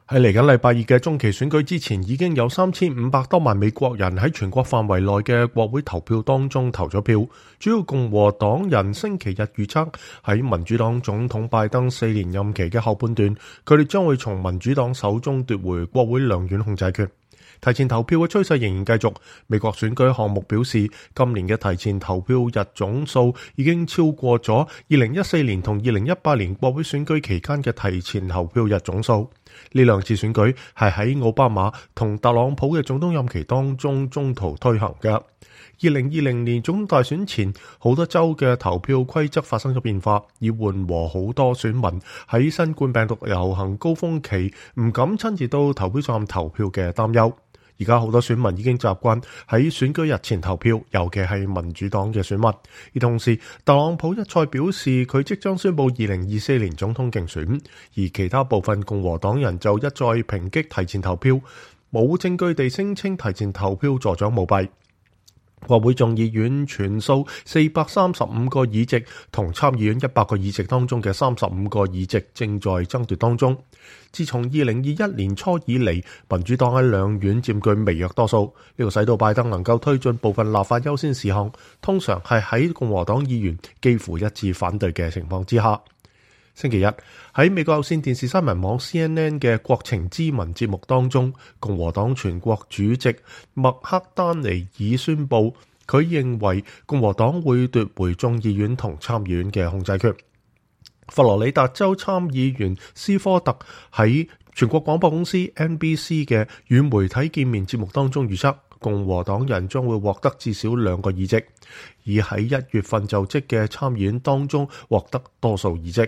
喺嚟緊禮拜二嘅中期選舉之前，已經有3500多萬美國人喺全國範圍內嘅國會投票當中投咗票。主要共和黨人星期日預測喺民主黨總統拜登4年任期嘅後半段，佢哋將會從民主黨手中奪回國會兩院控制權。提前投票嘅趨勢仍然繼續。美國選舉項目表示，今年嘅提前投票日總數已經超過咗2014年同2018年國會選舉期間嘅提前投票日總數。呢兩次選舉係喺奧巴馬同特朗普嘅總統任期當中中途推行嘅。2020年總統大選前，好多州嘅投票規則發生咗變化，以緩和好多選民喺新冠病毒流行高峰期唔敢親自到投票站投票嘅擔憂。而家好多選民已經習慣喺選舉日前投票，尤其係民主黨嘅選民。而同時，特朗普一再表示佢即將宣布2024年總統競選，而其他部分共和黨人就一再抨擊提前投票，冇證據地聲稱提前投票助長舞弊。國會眾議院全數435個議席同參議院100個議席當中嘅35個議席正在爭奪當中。自從2021年初以嚟，民主黨喺兩院佔據微弱多數，呢個使到拜登能夠推進部分立法優先事項，通常係喺共和黨議員幾乎一致反對嘅情況之下。星期日喺美國有線電視新聞網 CNN 嘅國情咨文節目當中，共和黨全國主席麥克丹尼爾宣布，佢認為共和黨會奪回眾議院同參議院嘅控制權。佛羅里達州參議員斯科特喺全國廣播公司 NBC 嘅與媒體見面節目當中預測，共和黨人將會獲得至少2個議席，而喺1月份就職嘅參議院當中獲得多數議席。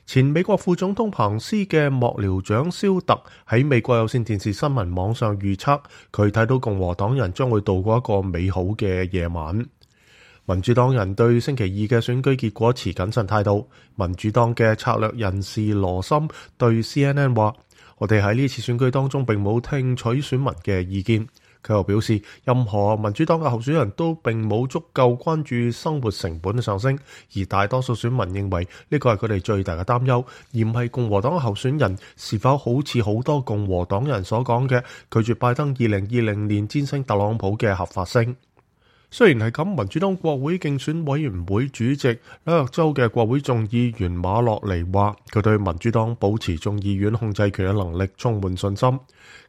前美國副總統彭斯嘅幕僚長蕭特喺美國有線電視新聞網上預測，佢睇到共和黨人將會度過一個美好嘅夜晚。民主黨人對星期二嘅選舉結果持謹慎態度。民主黨嘅策略人士羅森對 CNN 話，我哋喺呢次選舉當中並冇聽取選民嘅意見。佢又表示，任何民主黨嘅候選人都並冇足夠關注生活成本嘅上升，而大多數選民認為呢個係佢哋最大嘅擔憂，而唔係共和黨嘅候選人是否好似好多共和黨人所講嘅拒絕拜登2020年戰勝特朗普嘅合法性。雖然係咁，民主黨國會競選委員會主席紐約州嘅國會眾議員馬洛尼話，佢對民主黨保持眾議院控制權嘅能力充滿信心。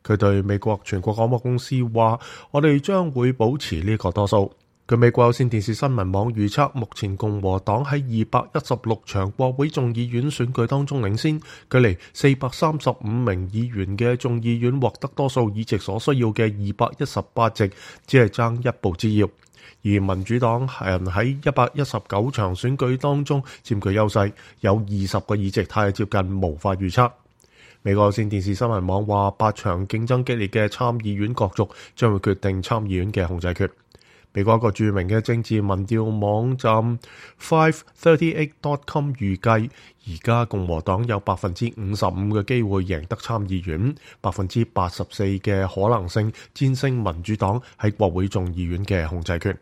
佢對美國全國廣播公司話，我哋將會保持呢個多數。據美國有線電視新聞網預測，目前共和黨喺216場國會眾議院選舉當中領先，距離435名議員嘅眾議院獲得多數議席所需要嘅218席，只係爭一步之遙。而民主黨人喺119場選舉當中佔據優勢，有20個議席太接近無法預測。美國有線電視新聞網話，8場競爭激烈嘅參議院角逐將會決定參議院嘅控制權。美國一個著名嘅政治民調網站 538.com 預計，而家共和黨有55%嘅機會贏得參議院，84%嘅可能性戰勝民主黨喺國會眾議院嘅控制權。